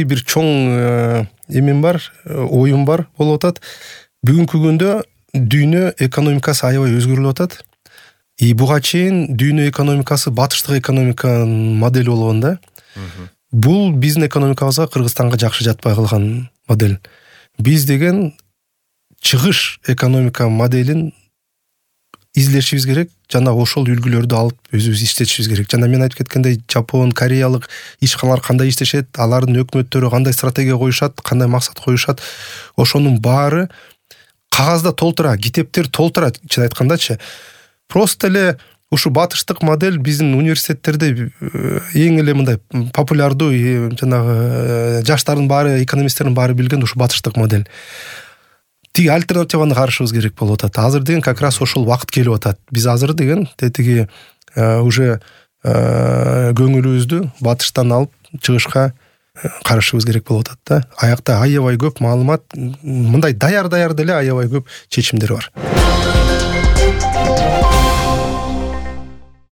дагы бир чоң эмем бар, оюм бар болуп атат. Бүгүнкү күндө дүйнө экономикасы аябай өзгөрүп атат. Буга чейин дүйнө экономикасы батыштык экономиканын модели болгон да. Бул биздин экономикабызга, Кыргызстанга жакшы жатпай калган модель. Биз деген чыгыш экономика моделин излешибиз керек жана ошол үлгүлөрдү алып өзүбүз иштетишибиз керек. Жана мен айтып кеткендей, Жапон, Кореялык ишканалар кандай иштешет, алардын өкмөттөрү кандай стратегия коюшат, кандай максат коюшат, ошонун баары кагазда толтура, китептер толтура, чын айткандачы. Просто эле ушу батыштык модель биздин университеттерде эң эле мындай популярдуу, жанагы жаштардын баары, экономисттердин баары билген ушу батыштык модель. Тиги альтернативаны карашыбыз керек болуп атат. Азыр деген как раз ошол убакыт келип атат. Биз азыр деген тетиги уже көңүлүбүздү батыштан алып чыгышка карашыбыз керек болуп атат да. Аякта аябай көп маалымат, мындай даяр деле аябай көп чечимдер бар.